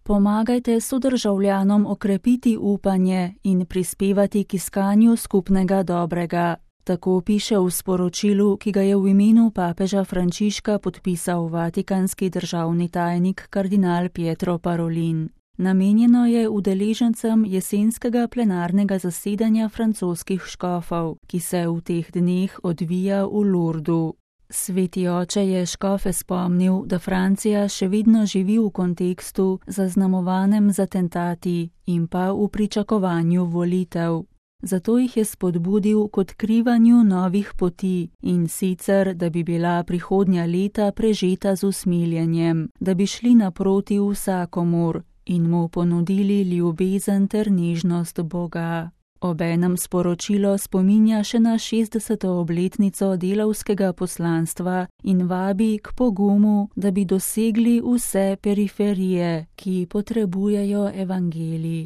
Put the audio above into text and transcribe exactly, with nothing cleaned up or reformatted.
Pomagajte sodržavljanom okrepiti upanje in prispevati k iskanju skupnega dobrega. Tako piše v sporočilu, ki ga je v imenu papeža Frančiška podpisal vatikanski državni tajnik kardinal Pietro Parolin. Namenjeno je udeležencem jesenskega plenarnega zasedanja francoskih škofov, ki se v teh dneh odvija v Lourdu. Sveti oče je škofe spomnil, da Francija še vedno živi v kontekstu zaznamovanem z atentati in pa v pričakovanju volitev. Zato jih je spodbudil k odkrivanju novih poti in sicer, da bi bila prihodnja leta prežeta z usmiljenjem, da bi šli naproti vsakomur in mu ponudili ljubezen ter nežnost Boga. Obenem sporočilo spominja še na šestdeseto obletnico delavskega poslanstva in vabi k pogumu, da bi dosegli vse periferije, ki potrebujejo evangelij.